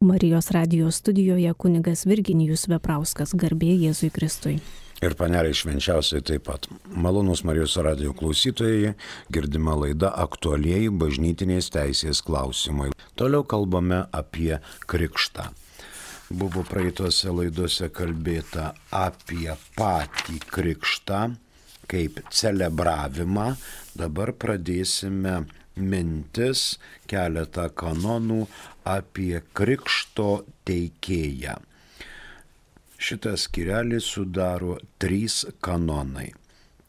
Marijos radijos studijoje kunigas Virginijus Veprauskas, garbė Jėzui Kristui. Ir paneliai švenčiausiai taip pat. Malonus Marijos radijo klausytojai, girdima laida aktualieji bažnytinės teisės klausimai. Toliau kalbame apie krikštą. Buvo praeitose laidose kalbėta apie patį krikštą kaip celebravimą. Dabar pradėsime mintis, keletą kanonų apie krikšto teikėją. Šitas skyrelį sudaro 3 kanonai.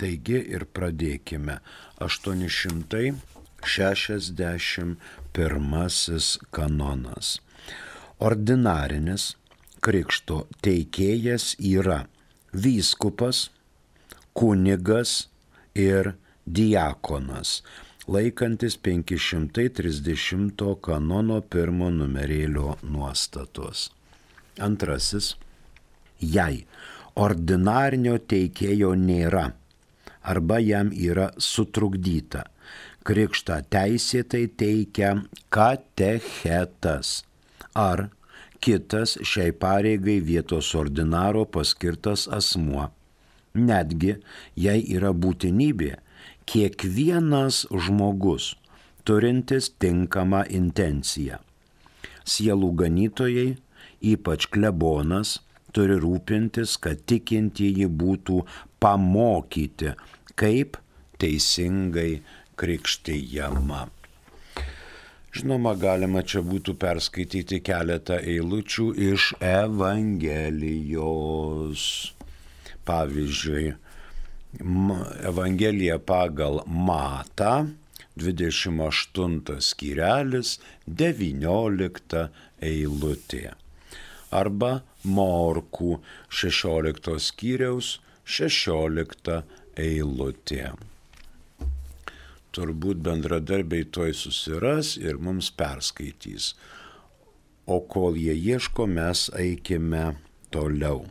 Taigi ir pradėkime. 861 kanonas. Ordinarinis krikšto teikėjas yra vyskupas, kunigas ir diakonas, laikantis 530 kanono 1 numerėlio nuostatos. Antrasis. Jei ordinarinio teikėjo nėra arba jam yra sutrukdyta, krikštą teisėtai teikia katechetas ar kitas šiai pareigai vietos ordinaro paskirtas asmuo. Netgi, jei yra būtinybė, kiekvienas žmogus turintis tinkamą intenciją. Sielų ganytojai, ypač klebonas, turi rūpintis, kad tikintieji būtų pamokyti, kaip teisingai krikštijama. Žinoma, galima čia būtų perskaityti keletą eilučių iš Evangelijos. Pavyzdžiui, Evangelija pagal Matą, 28 skyrelis, 19 eilutė. Arba Morkų 16 skyriaus 16 eilutė. Turbūt bendradarbiai toj susiras ir mums perskaitys. O kol jie ieško, mes eikime toliau.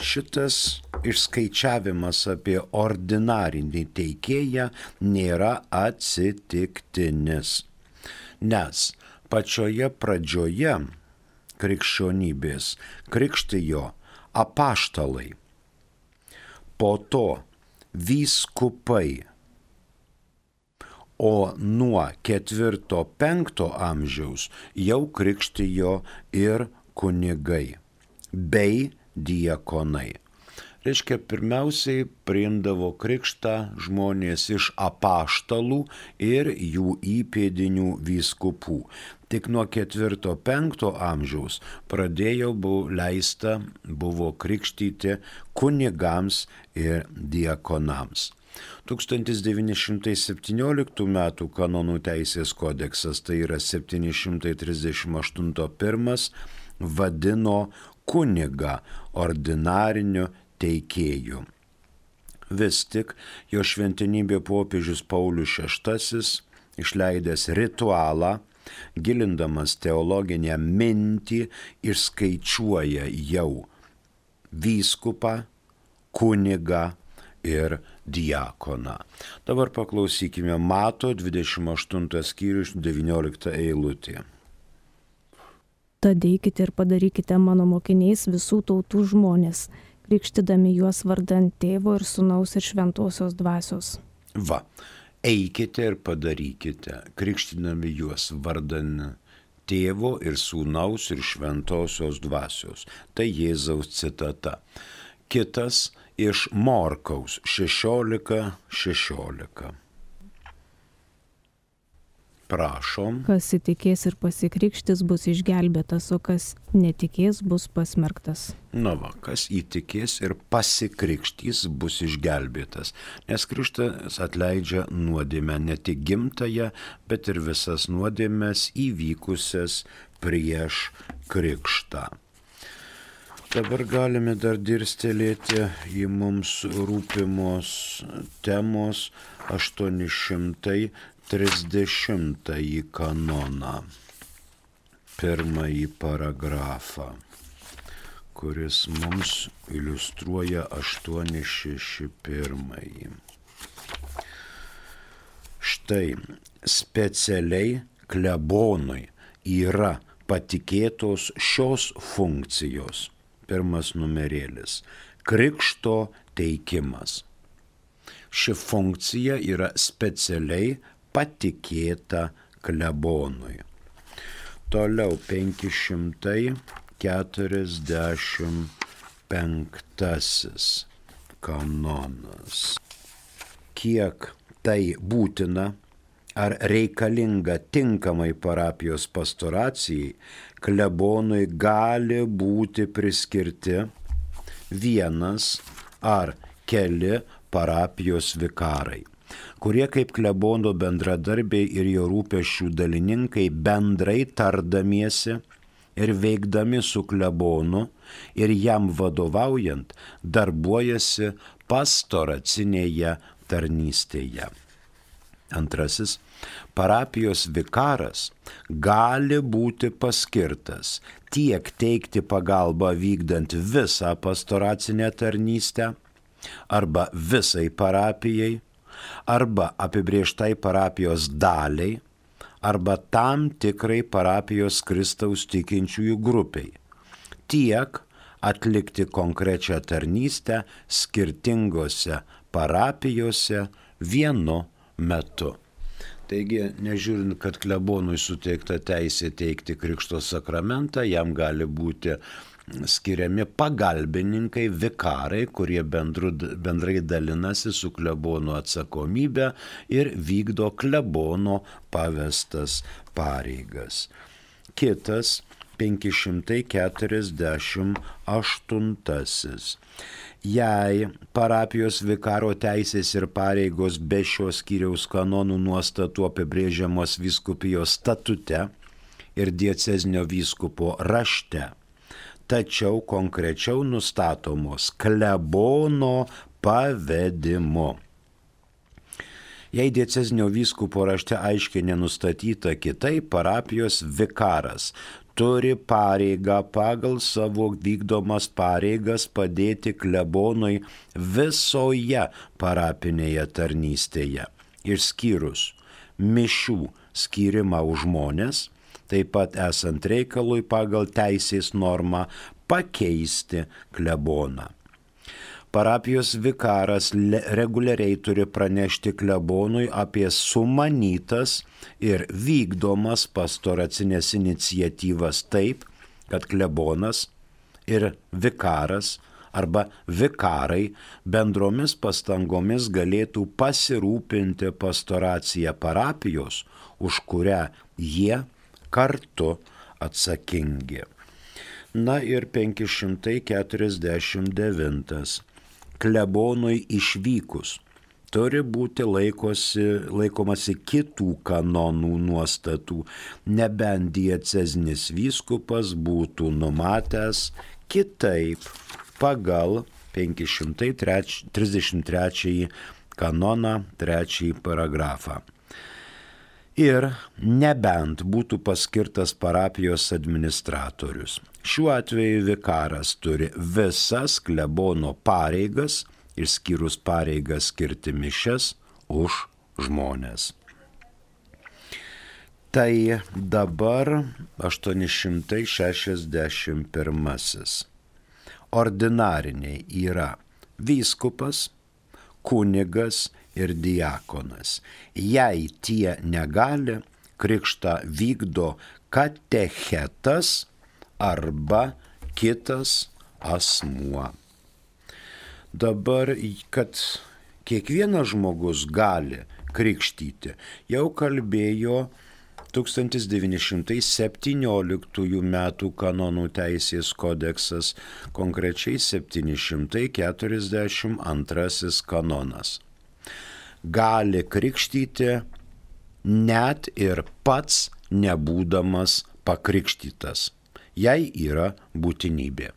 Šitas išskaičiavimas apie ordinarinį teikėją nėra atsitiktinis, nes pačioje pradžioje krikščionybės krikštijo apaštalai, po to vyskupai, o nuo 4-5 amžiaus jau krikštijo ir kunigai bei diakonai. Reiškia, pirmiausiai priimdavo krikštą žmonės iš apaštalų ir jų įpėdinių vyskupų. Tik nuo 4-5 amžiaus leista buvo krikštyti kunigams ir diakonams. 1917 m. kanonų teisės kodeksas, tai yra 738.1, vadino kunigą ordinariniu teikėju. Vis tik jo šventenybė popiežius Paulius VI, išleidęs ritualą, gilindamas teologinę mintį, išskaičiuoja jau vyskupą, kunigą ir diakoną. Dabar paklausykime Mato 28 skyrius 19 eilutė. Tad eikite ir padarykite mano mokiniais visų tautų žmonės, krikštydami juos vardan Tėvo ir Sūnaus ir Šventosios Dvasios. Va, eikite ir padarykite, krikštydami juos vardan Tėvo ir Sūnaus ir Šventosios Dvasios. Tai Jėzaus citata. Kitas iš Morkaus 16:16. Prašom. Kas įtikės ir pasikrikštys bus išgelbėtas, o kas netikės bus pasmerktas. Na va, kas įtikės ir pasikrikštys bus išgelbėtas, nes krikštas atleidžia nuodėmę, ne tik gimtąją, bet ir visas nuodėmes įvykusias prieš krikštą. Dabar galime dar dirstelėti į mums rūpimos temos 830 kanoną, pirmąjį paragrafą, kuris mums iliustruoja 861. Štai specialiai klebonui yra patikėtos šios funkcijos. Pirmas numerėlis – krikšto teikimas. Ši funkcija yra specialiai patikėta klebonui. Toliau 545 kanonas. Kiek tai būtina ar reikalinga tinkamai parapijos pastoracijai, klebonui gali būti priskirti vienas ar keli parapijos vikarai, kurie kaip klebono bendradarbiai ir jo rūpesčių dalininkai bendrai tardamiesi ir veikdami su klebonu ir jam vadovaujant darbuojasi pastoracinėje tarnystėje. Antrasis, parapijos vikaras gali būti paskirtas tiek teikti pagalbą vykdant visą pastoracinę tarnystę arba visai parapijai, arba apibrėžtai parapijos daliai, arba tam tikrai parapijos Kristaus tikinčiųjų grupiai, tiek atlikti konkrečią tarnystę skirtingose parapijose vienu metu. Taigi, nežiūrint, kad klebonui suteikta teisė teikti krikšto sakramentą, jam gali būti skiriami pagalbininkai, vikarai, kurie bendrai dalinasi su klebonu atsakomybę ir vykdo klebono pavestas pareigas. Kitas 548. Jei parapijos vikaro teisės ir pareigos be šios skyriaus kanonų nuostatų apibrėžiamos vyskupijos statute ir diecezinio vyskupo rašte, tačiau konkrečiau nustatomos klebono pavedimu. Jei diecezinio vyskupo rašte aiškiai nenustatyta kitaip, parapijos vikaras turi pareigą pagal savo vykdomas pareigas padėti klebonui visoje parapinėje tarnystėje, išskyrus mišių skyrimą už žmones, taip pat esant reikalui pagal teisės normą pakeisti kleboną. Parapijos vikaras reguliariai turi pranešti klebonui apie sumanytas ir vykdomas pastoracinės iniciatyvas taip, kad klebonas ir vikaras arba vikarai bendromis pastangomis galėtų pasirūpinti pastoraciją parapijos, už kurią jie kartu atsakingi. Na ir 549. Klebonui išvykus turi būti laikomasi kitų kanonų nuostatų, nebent diecezinis vyskupas būtų numatęs kitaip pagal 533 kanoną 3 paragrafą. Ir nebent būtų paskirtas parapijos administratorius. Šiuo atveju vikaras turi visas klebono pareigas, išskyrus pareigas skirti mišias už žmones. Tai dabar 861. Ordinariniai yra vyskupas, kunigas ir diakonas. Jei tie negali, krikštą vykdo katechetas arba kitas asmuo. Dabar, kad kiekvienas žmogus gali krikštyti, jau kalbėjo 1917 metų kanonų teisės kodeksas, konkrečiai 742 kanonas. Gali krikštyti net ir pats nebūdamas pakrikštytas, jei yra būtinybė.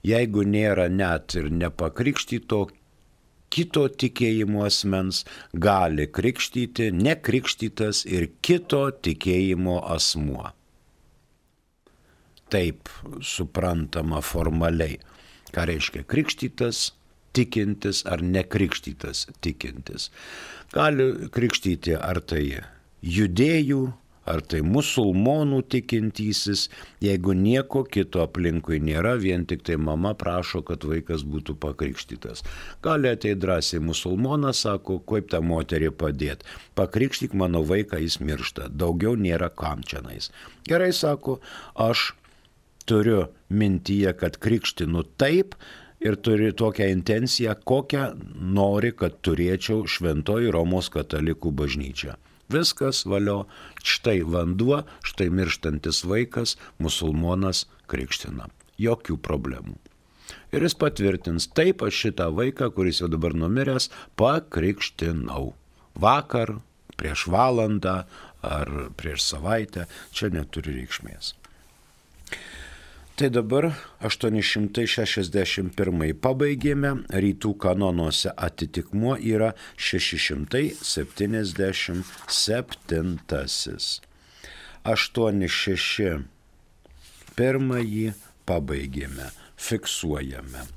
Jeigu nėra net ir nepakrikštyto kito tikėjimo asmens, gali krikštyti nekrikštytas ir kito tikėjimo asmuo. Taip suprantama formaliai, ką reiškia krikštytas, tikintis ar nekrikštytas tikintis. Gali krikštyti ar tai judėjų, ar tai musulmonų tikintysis, jeigu nieko kito aplinkui nėra, vien tik tai mama prašo, kad vaikas būtų pakrikštytas. Gali ateiti drąsiai musulmonas, sako, kaip tą moterį padėti, pakrikštyk mano vaiką, jis miršta, daugiau nėra kam čionais. Gerai, sako, aš turiu mintyje, kad krikštinu taip ir turiu tokią intenciją, kokią nori, kad turėčiau Šventoji Romos katalikų bažnyčia. Viskas valio, štai vanduo, štai mirštantis vaikas, musulmonas krikština. Jokių problemų. Ir jis patvirtins, taip aš šitą vaiką, kuris jau dabar numiręs, pakrikštinau. Vakar, prieš valandą ar prieš savaitę, čia neturi reikšmės. Tai dabar 861 pabaigėme, rytų kanonuose atitikmuo yra 677. 861 pabaigėme, fiksuojame.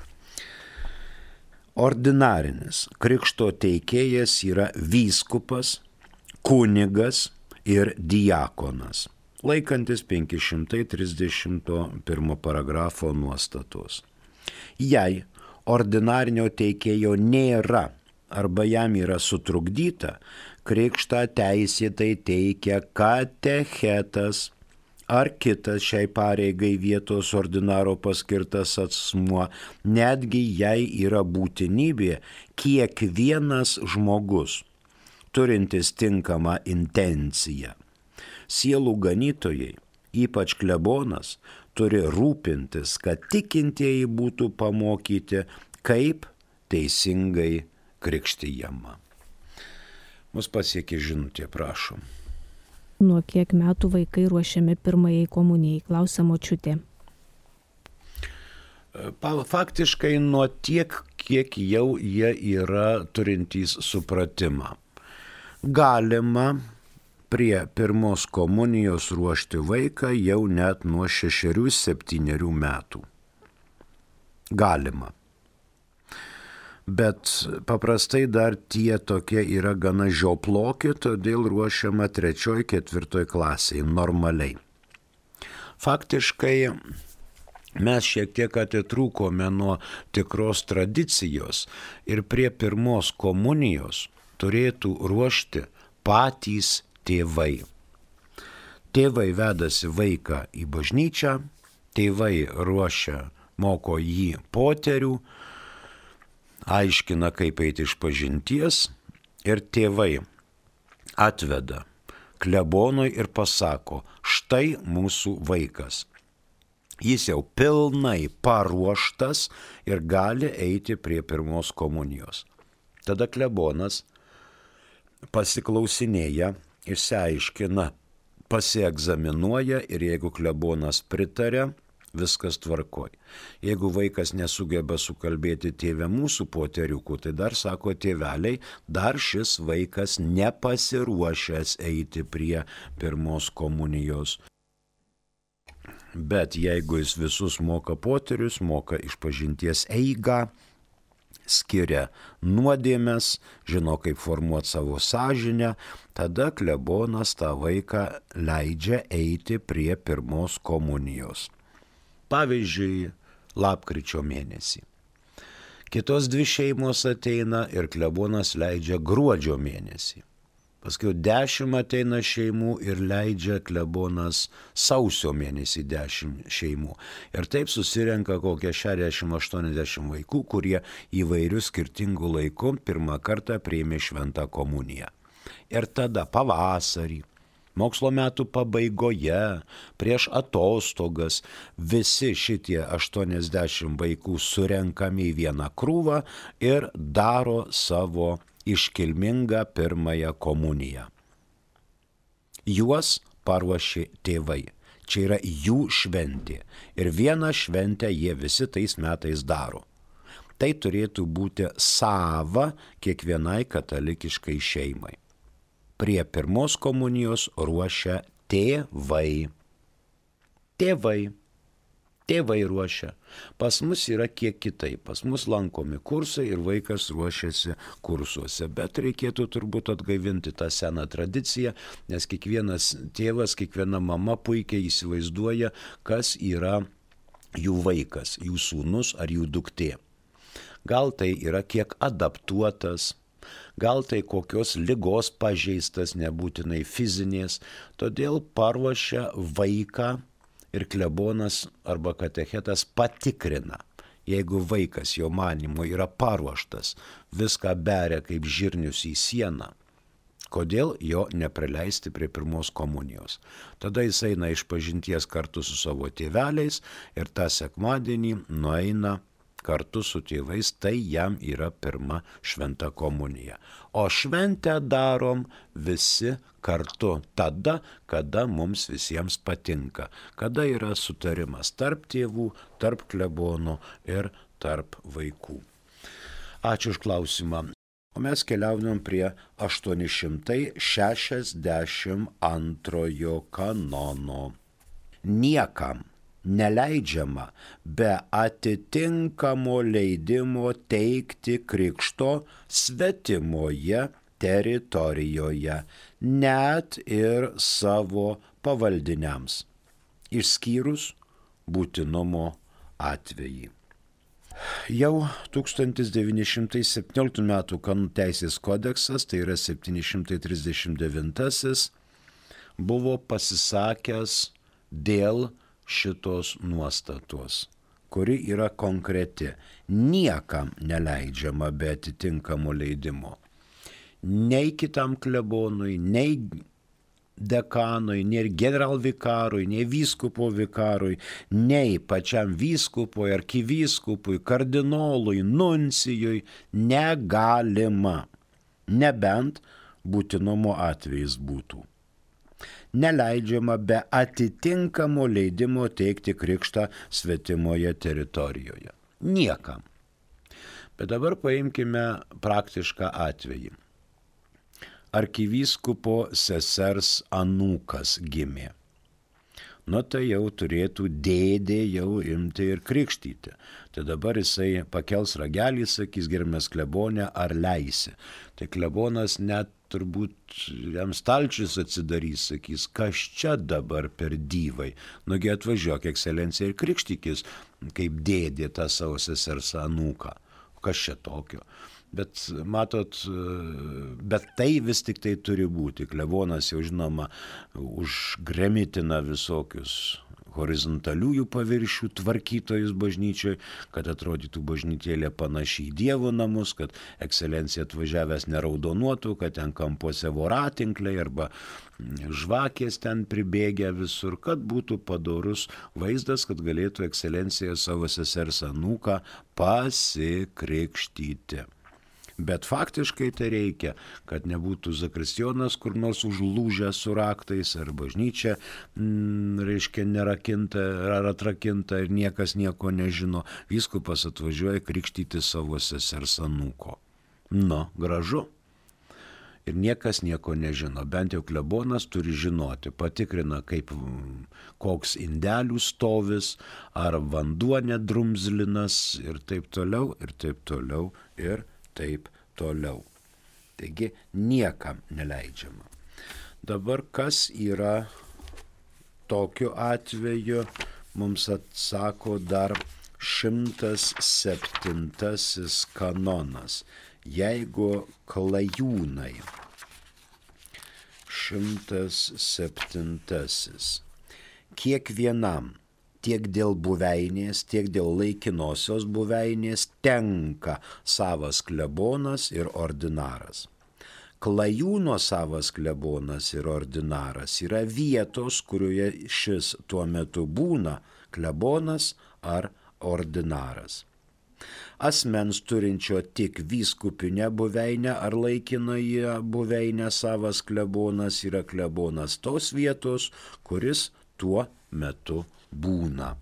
Ordinarinis krikšto teikėjas yra vyskupas, kunigas ir diakonas, laikantis 531 paragrafo nuostatos. Jei ordinarinio teikėjo nėra arba jam yra sutrukdyta, krikštą teisėtai teikia katechetas ar kitas šiai pareigai vietos ordinaro paskirtas asmuo, netgi jei yra būtinybė kiekvienas žmogus, turintis tinkamą intenciją. Sielų ganytojai, ypač klebonas, turi rūpintis, kad tikintieji būtų pamokyti, kaip teisingai krikštijama. Mus pasiekė žinutė, prašom. Nuo kiek metų vaikai ruošiami pirmajai komunijai, klausia močiutė. Faktiškai nuo tiek, kiek jau jie yra turintys supratimą. Galima prie pirmos komunijos ruošti vaiką jau net nuo 6-7 metų. Galima. Bet paprastai dar tie tokie yra gana žioploki, todėl ruošiama 3-4 klasėje normaliai. Faktiškai mes šiek tiek atitrūkome nuo tikros tradicijos ir prie pirmos komunijos turėtų ruošti patys tėvai. Tėvai vedasi vaiką į bažnyčią, tėvai ruošia, moko jį poterių, aiškina, kaip eiti išpažinties ir tėvai atveda klebonui ir pasako, štai mūsų vaikas. Jis jau pilnai paruoštas ir gali eiti prie pirmos komunijos. Tada klebonas pasiklausinėja, išsiaiškina, pasiegzaminuoja ir jeigu klebonas pritarė, viskas tvarkoj. Jeigu vaikas nesugeba sukalbėti tėvę mūsų poteriukų, tai dar sako tėveliai, dar šis vaikas nepasiruošęs eiti prie pirmos komunijos. Bet jeigu jis visus moka poterius, moka išpažinties eigą, skiria nuodėmes, žino, kaip formuoti savo sąžinę, tada klebonas tą vaiką leidžia eiti prie pirmos komunijos. Pavyzdžiui, lapkričio mėnesį. Kitos 2 šeimos ateina ir klebonas leidžia gruodžio mėnesį. Paskui 10 ateina šeimų ir leidžia klebonas sausio mėnesį 10 šeimų. Ir taip susirenka kokie 60-80 vaikų, kurie įvairių skirtingų laikų pirmą kartą priėmė šventą komuniją. Ir tada pavasarį, mokslo metų pabaigoje, prieš atostogas, visi šitie 80 vaikų surenkami į vieną krūvą ir daro savo iškilmingą pirmąją komuniją. Juos paruošė tėvai. Čia yra jų šventė. Ir vieną šventę jie visi tais metais daro. Tai turėtų būti sava kiekvienai katalikiškai šeimai. Prie pirmos komunijos ruošia tėvai. Tėvai. Tėvai ruošia. Pas mus yra kiek kitaip. Pas mus lankomi kursai ir vaikas ruošiasi kursuose. Bet reikėtų turbūt atgaivinti tą seną tradiciją, nes kiekvienas tėvas, kiekviena mama puikiai įsivaizduoja, kas yra jų vaikas, jų sūnus ar jų duktė. Gal tai yra kiek adaptuotas, gal tai kokios ligos pažeistas, nebūtinai fizinės, todėl paruošia vaiką ir klebonas arba katechetas patikrina. Jeigu vaikas jo manymu yra paruoštas, viską beria kaip žirnius į sieną, kodėl jo neprileisti prie pirmos komunijos? Tada jis eina išpažinties kartu su savo tėveliais ir tą sekmadienį nueina kartu su tėvais, tai jam yra pirma šventa komunija. O šventę darom visi kartu tada, kada mums visiems patinka, kada yra sutarimas tarp tėvų, tarp klebonų ir tarp vaikų. Ačiū už klausimą. O mes keliaujam prie 862 kanono. Niekam neleidžiama be atitinkamo leidimo teikti krikšto svetimoje teritorijoje, net ir savo pavaldiniams, išskyrus būtinumo atvejį. Jau 1917 m. kanonų teisės kodeksas, tai yra 739, buvo pasisakęs dėl šitos nuostatos, kuri yra konkreti. Niekam neleidžiama be atitinkamo leidimo. Nei kitam klebonui, nei dekanui, nei generalvikarui, nei vyskupo vikarui, nei pačiam vyskupui, arkivyskupui, kardinolui, nuncijui negalima, nebent būtinumo atvejis būtų. Neleidžiama be atitinkamo leidimo teikti krikštą svetimoje teritorijoje. Niekam. Bet dabar paimkime praktišką atvejį. Arkivyskupo sesers anūkas gimė. Nu tai jau turėtų dėdė jau imti ir krikštyti. Tai dabar jisai pakels ragelį, sakys, gerbiamas klebone, ar leisi. Tai klebonas net turbūt jam stalčius atsidarys, sakys, kas čia dabar per dyvai. Nugi atvažiuok, ekscelencija, ir krikštykis, kaip dėdė tą savo sesers anūką. Kas čia tokio? Bet matot, bet tai vis tik tai turi būti. Klebonas jau žinoma užgremitina visokius horizontaliųjų paviršių tvarkytojus bažnyčioje, kad atrodytų bažnytėlė panašiai į Dievo namus, kad ekscelencija atvažiavęs neraudonuotų, kad ten kampuose voratinkliai arba žvakės ten pribėgę visur, kad būtų padorus vaizdas, kad galėtų ekscelencija savo sesers anūką pasikrikštyti. Bet faktiškai tai reikia, kad nebūtų zakristijonas kur nors užlūžęs su raktais, ar bažnyčia, reiškia, nerakinta ar atrakinta ir niekas nieko nežino. Vyskupas atvažiuoja krikštyti savo sesers anūko. Nu, gražu. Ir niekas nieko nežino. Bent jau klebonas turi žinoti, patikrina, kaip koks indelių stovis, ar vanduo nedrumzlinas ir taip toliau, ir taip toliau, ir taip toliau. Taigi niekam neleidžiama. Dabar kas yra tokiu atveju, mums atsako dar 107 kanonas. Jeigu klajūnai, 107. Kiekvienam tiek dėl buveinės, tiek dėl laikinosios buveinės tenka savas klebonas ir ordinaras. Klajūno savas klebonas ir ordinaras yra vietos, kurioje šis tuo metu būna klebonas ar ordinaras. Asmens turinčio tik vyskupinę buveinę ar laikinąją buveinę savas klebonas yra klebonas tos vietos, kuris tuo metu būna.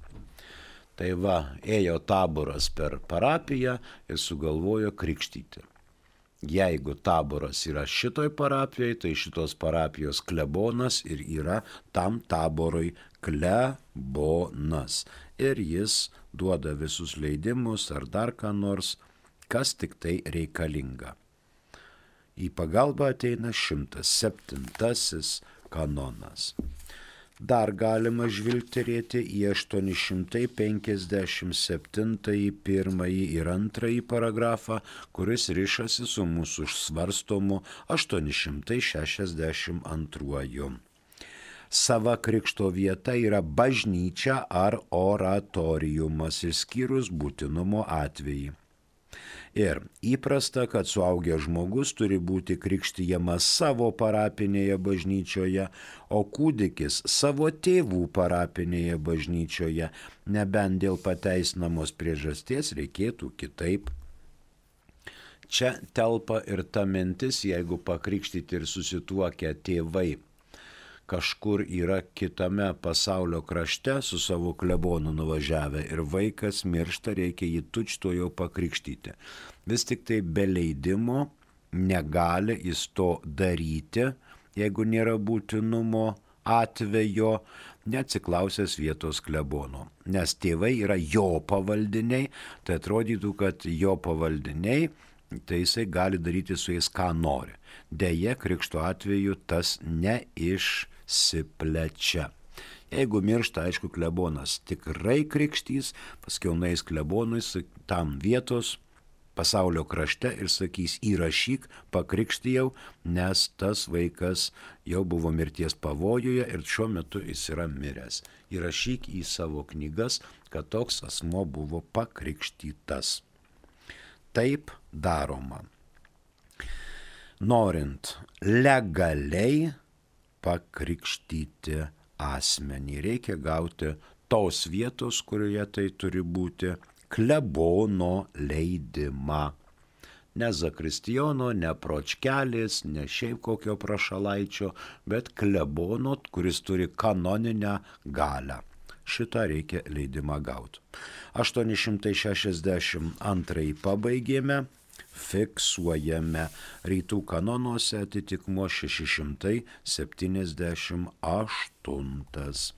Tai va, ėjo taboras per parapiją ir sugalvojo krikštyti. Jeigu taboras yra šitoj parapijoje, tai šitos parapijos klebonas ir yra tam taborui klebonas. Ir jis duoda visus leidimus ar dar ką nors, kas tik tai reikalinga. Į pagalbą ateina 107 kanonas. Dar galima žvilgterėti į 857 pirmąjį ir antrąjį paragrafą, kuris rišasi su mūsų svarstomu 862. Sava krikšto vieta yra bažnyčia ar oratoriumas, išskyrus būtinumo atvejį. Ir įprasta, kad suaugęs žmogus turi būti krikštijamas savo parapinėje bažnyčioje, o kūdikis savo tėvų parapinėje bažnyčioje, nebent dėl pateisinamos priežasties reikėtų kitaip. Čia telpa ir ta mintis, jeigu pakrikštyti ir susituokę tėvai kažkur yra kitame pasaulio krašte su savo klebonu nuvažiavę ir vaikas miršta, reikia jį tučtuojau pakrikštyti. Vis tik tai be leidimo negali jis to daryti, jeigu nėra būtinumo atvejo, neatsiklausęs vietos klebono. Nes tėvai yra jo pavaldiniai, tai atrodytų, kad jo pavaldiniai, tai jisai gali daryti su jais ką nori. Deja, krikšto atveju tas neišsiplečia. Jeigu miršta, aišku, klebonas tikrai krikštys, paskiau nueis klebonui tam vietos pasaulio krašte ir sakys, įrašyk, pakrikštijau, nes tas vaikas jau buvo mirties pavojuje ir šiuo metu jis yra miręs. Įrašyk į savo knygas, kad toks asmo buvo pakrikštytas. Taip daroma. Norint legaliai pakrikštyti asmenį, reikia gauti tos vietos, kurioje tai turi būti, klebono leidimą. Ne zakristijono, ne pročkelis, ne šiaip kokio prašalaičio, bet klebono, kuris turi kanoninę galią. Šitą reikia leidimą gauti. 862 pabaigėme, fiksuojame. Rytų kanonuose atitikmuo 678.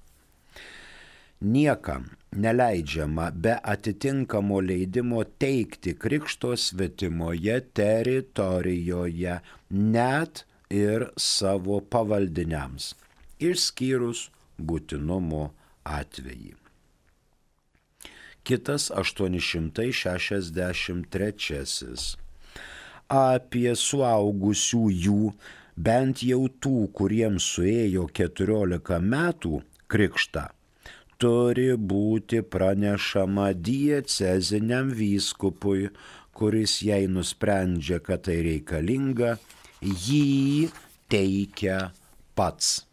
Niekam neleidžiama be atitinkamo leidimo teikti krikšto svetimoje teritorijoje, net ir savo pavaldiniams, išskyrus būtinumo atvejį. Kitas 863. Apie suaugusiųjų, bent jau tų, kuriems suėjo 14 metų krikštą, turi būti pranešama dieceziniam vyskupui, kuris jei nusprendžia, kad tai reikalinga, jį teikia pats.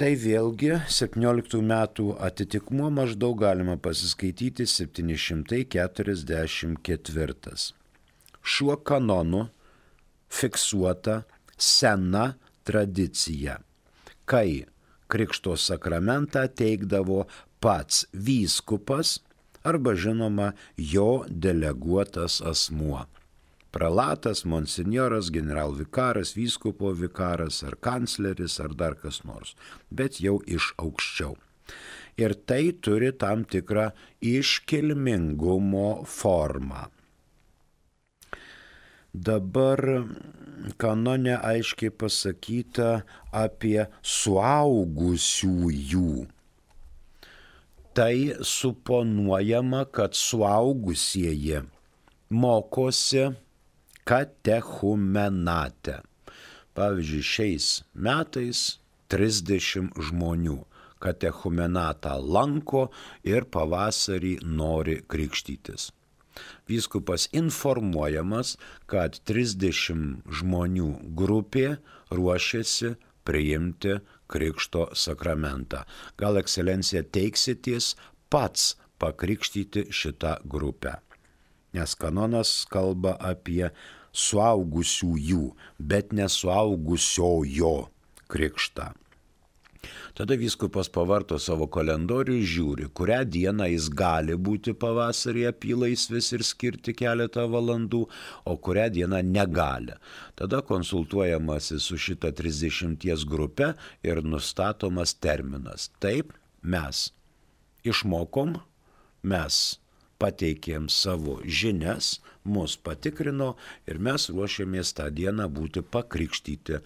Tai vėlgi 17 metų atitikmuo maždaug galima pasiskaityti 744. Šiuo kanonu fiksuota sena tradicija, kai krikšto sakramentą teikdavo pats vyskupas arba žinoma jo deleguotas asmuo. Prelatas, monsinjoras, generalvikaras, vyskupo vikaras ar kancleris ar dar kas nors, bet jau iš aukščiau. Ir tai turi tam tikrą iškilmingumo formą. Dabar kanone aiškiai pasakyta apie suaugusiųjų. Tai suponuojama, kad suaugusieji mokosi katechumenate. Pavyzdžiui, šiais metais 30 žmonių katechumenatą lanko ir pavasarį nori krikštytis. Vyskupas informuojamas, kad 30 žmonių grupė ruošiasi priimti krikšto sakramentą. Gal ekscelencija teiksitės pats pakrikštyti šitą grupę. Nes kanonas kalba apie suaugusiųjų, bet nesuaugusiojo krikštą. Tada vyskupas pavarto savo kalendorių ir žiūri, kurią dieną jis gali būti pavasarį apylaisvis ir skirti keletą valandų, o kurią dieną negali. Tada konsultuojamasi su šita 30 grupe ir nustatomas terminas. Taip, mes išmokom, mes pateikėm savo žinias, mus patikrino ir mes ruošiamės tą dieną būti pakrikštyti.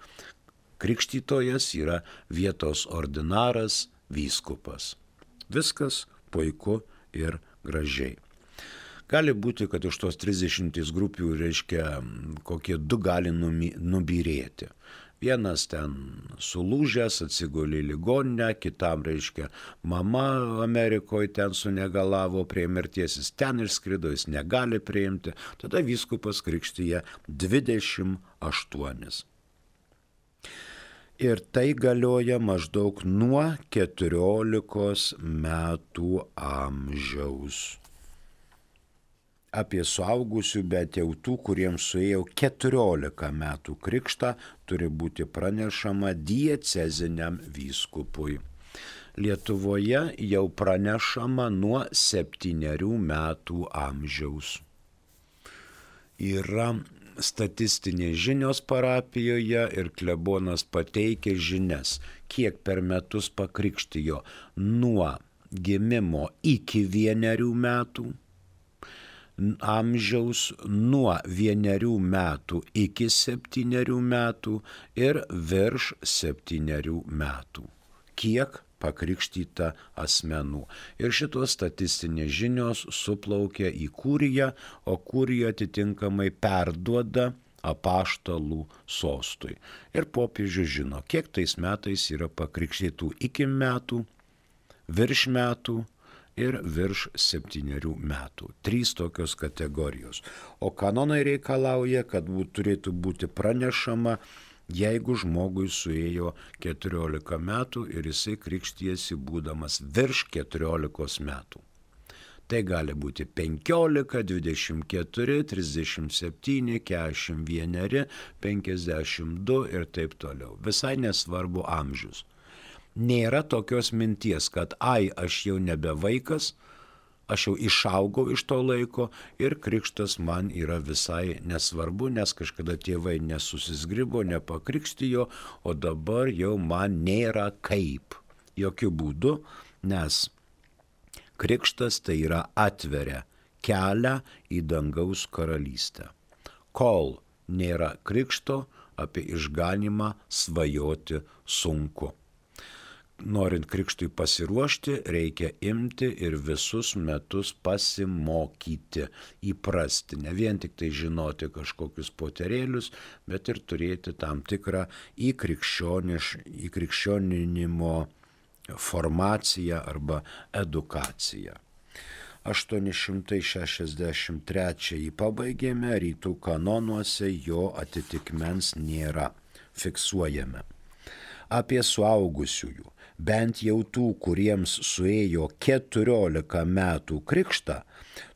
Krikštytojas yra vietos ordinaras, vyskupas. Viskas puiku ir gražiai. Gali būti, kad iš tos 30 grupių, reiškia, kokie 2 gali nubyrėti. Vienas ten sulūžęs, atsigulė į ligoninę, kitam, reiškia, mama Amerikoje ten sunegalavo prie mirties, jis ten išskrido, jis negali priimti. Tada vyskupas krikštyja 28. Ir tai galioja maždaug nuo 14 metų amžiaus. Apie suaugusių, bet jau tų, kuriems suėjo 14 metų krikštą, turi būti pranešama dieceziniam vyskupui. Lietuvoje jau pranešama nuo 7 metų amžiaus. Yra statistinės žinios parapijoje ir klebonas pateikia žinias, kiek per metus pakrikštijo nuo gimimo iki 1 metų, amžiaus nuo 1 metų iki 7 metų ir virš 7 metų. Kiek pakrikštyta asmenų. Ir šitos statistinės žinios suplaukia į kuriją, o kurija atitinkamai perduoda apaštalų sostui. Ir popiežius žino, kiek tais metais yra pakrikštytų iki metų, virš metų ir virš 7 metų. 3 tokios kategorijos. O kanonai reikalauja, kad turėtų būti pranešama, jeigu žmogui suėjo 14 metų ir jisai krikštijasi būdamas virš 14 metų. Tai gali būti 15, 24, 37, 41, 52 ir taip toliau. Visai nesvarbu amžius. Nėra tokios minties, kad aš jau nebe vaikas, aš jau išaugau iš to laiko ir krikštas man yra visai nesvarbu, nes kažkada tėvai nesusizgribo, nepakrikštijo, o dabar jau man nėra kaip. Jokių būdų, nes krikštas tai yra atveria kelią į dangaus karalystę. Kol nėra krikšto, apie išganymą svajoti sunku. Norint krikštui pasiruošti, reikia imti ir visus metus pasimokyti, įprasti, ne vien tik tai žinoti kažkokius poterėlius, bet ir turėti tam tikrą įkrikščioninimo formaciją arba edukaciją. 863 pabaigėme, rytų kanonuose jo atitikmens nėra, fiksuojame. Apie suaugusiųjų, bent jau tų, kuriems suėjo 14 metų krikštą,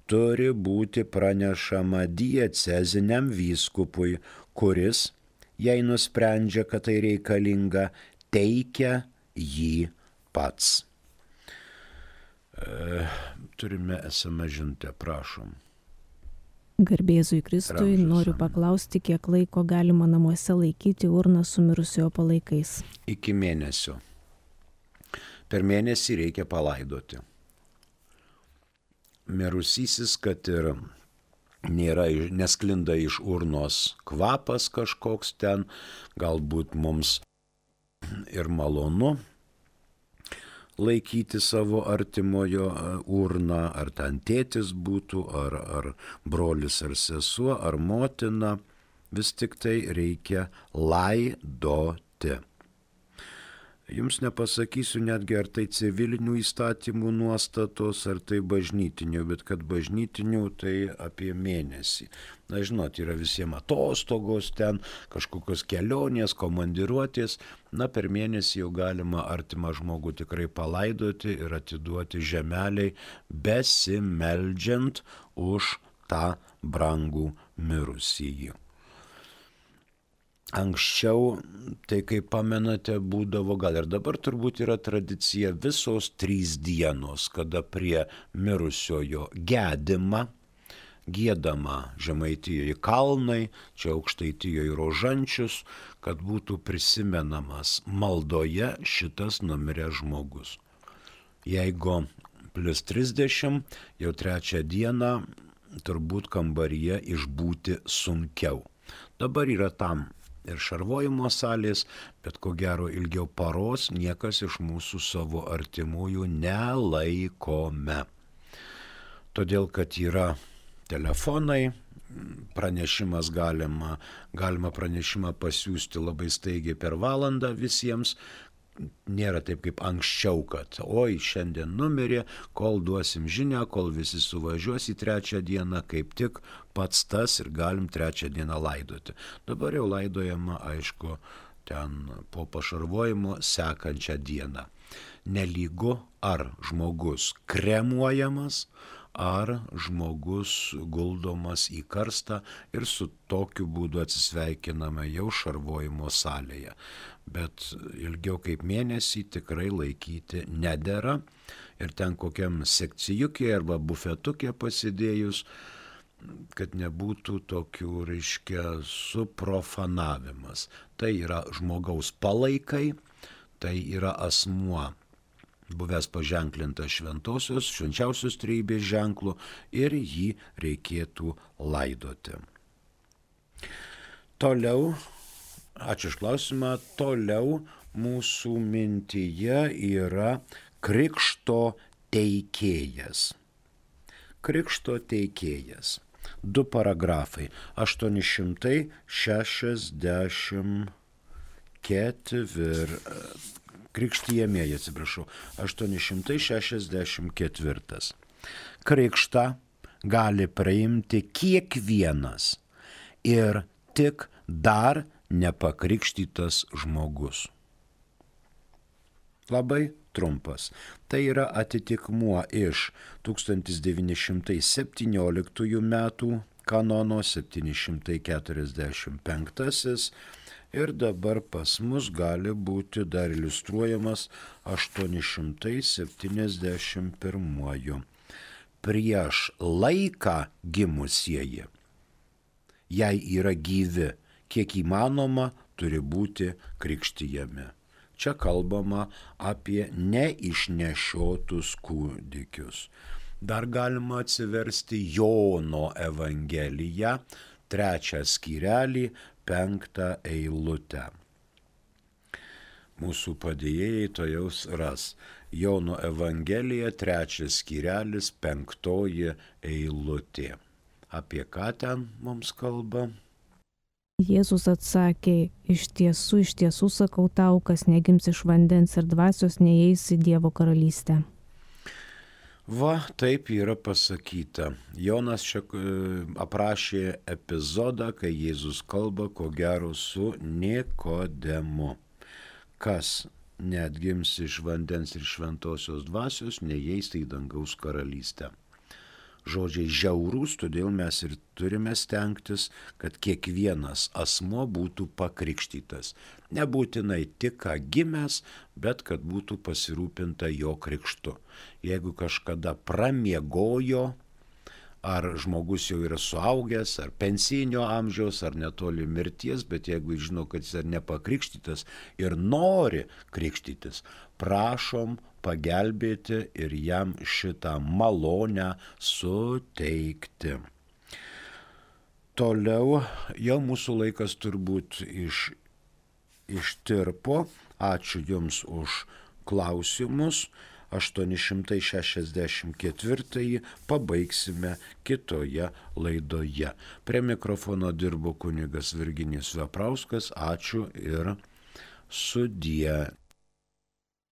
turi būti pranešama dieceziniam vyskupui, kuris, jei nusprendžia, kad tai reikalinga, teikia jį pats. Turime SMS žinutę, prašom. Garbėzui Kristui, noriu paklausti, kiek laiko galima namuose laikyti urną su mirusiojo palaikais. Iki mėnesio. Per mėnesį reikia palaidoti. Mirusysis, kad ir nesklinda iš urnos kvapas kažkoks ten, galbūt mums ir malonu laikyti savo artimojo urną, ar ten tėtis būtų, ar brolis, ar sesuo, ar motina, vis tik tai reikia laidoti. Jums nepasakysiu netgi, ar tai civilinių įstatymų nuostatos, ar tai bažnytinių, bet kad bažnytinių tai apie mėnesį. Na, žinot, yra visiems atostogos ten, kažkokios kelionės, komandiruotės. Na, per mėnesį jau galima artimą žmogų tikrai palaidoti ir atiduoti žemeliai, besimeldžiant už tą brangų mirusįjį. Anksčiau, tai kaip pamenate, būdavo, gal ir dabar turbūt yra tradicija, visos 3 dienos, kada prie mirusiojo gedima, giedama Žemaitijoje kalnai, čia Aukštaitijoje Rožančius, kad būtų prisimenamas maldoje šitas numiręs žmogus. Jeigu plus 30, jau 3 dieną turbūt kambaryje išbūti sunkiau. Dabar yra tam ir šarvojimo salės, bet ko gero ilgiau paros niekas iš mūsų savo artimųjų nelaikome. Todėl, kad yra telefonai, pranešimas galima pranešimą pasiųsti labai staigiai per valandą visiems. Nėra taip kaip anksčiau, kad oi, šiandien numirė, kol duosim žinią, kol visi suvažiuos į 3 dieną, kaip tik pats tas ir galim 3 dieną laidoti. Dabar jau laidojama, aišku, ten po pašarvojimo sekančią dieną. Nelygu, ar žmogus kremuojamas, ar žmogus guldomas į karstą ir su tokiu būdu atsisveikiname jau šarvojimo salėje. Bet ilgiau kaip mėnesį tikrai laikyti nedera ir ten kokiam sekcijukė arba bufetukė pasidėjus, kad nebūtų tokių, reiškia, suprofanavimas. Tai yra žmogaus palaikai, tai yra asmuo buvęs paženklintas švenčiausios trejybės ženklu ir jį reikėtų laidoti. Toliau, ačiū už klausimą, toliau mūsų mintyje yra krikšto teikėjas. Krikšto teikėjas. 2 paragrafai. 864. Krikštą gali priimti kiekvienas ir tik dar nepakrikštytas žmogus. Labai trumpas. Tai yra atitikmuo iš 1917 metų kanono 745 ir dabar pas mus gali būti dar iliustruojamas 871. Prieš laiką gimusieji, jei yra gyvi, kiek įmanoma, turi būti krikštijami. Čia kalbama apie neišnešiotus kūdikius. Dar galima atsiversti Jono Evangeliją, 3 skyrelį, 5 eilutę. Mūsų padėjėjai to jau ras. Jono Evangelija, 3 skyrelis, 5 eilutė. Apie ką ten mums kalba? Jėzus atsakė, iš tiesų sakau tau, kas negims iš vandens ir dvasios, neįeis į Dievo karalystę. Va, taip yra pasakyta. Jonas čia aprašė epizodą, kai Jėzus kalba, ko gero, su Nikodemu. Kas neatgims iš vandens ir šventosios dvasios, neįeis į dangaus karalystę. Žodžiai žiaurūs, todėl mes ir turime stengtis, kad kiekvienas asmuo būtų pakrikštytas. Nebūtinai tik ką gimęs, bet kad būtų pasirūpinta jo krikštu. Jeigu kažkada pramiegojo, ar žmogus jau yra suaugęs, ar pensijinio amžiaus, ar netoli mirties, bet jeigu žino, kad jis yra nepakrikštytas ir nori krikštytis, prašom pagelbėti ir jam šitą malonę suteikti. Toliau jau mūsų laikas turbūt ištirpo. Ačiū Jums už klausimus. 864 pabaigsime kitoje laidoje. Prie mikrofono dirbo kunigas Virginijus Veprauskas. Ačiū ir sudie.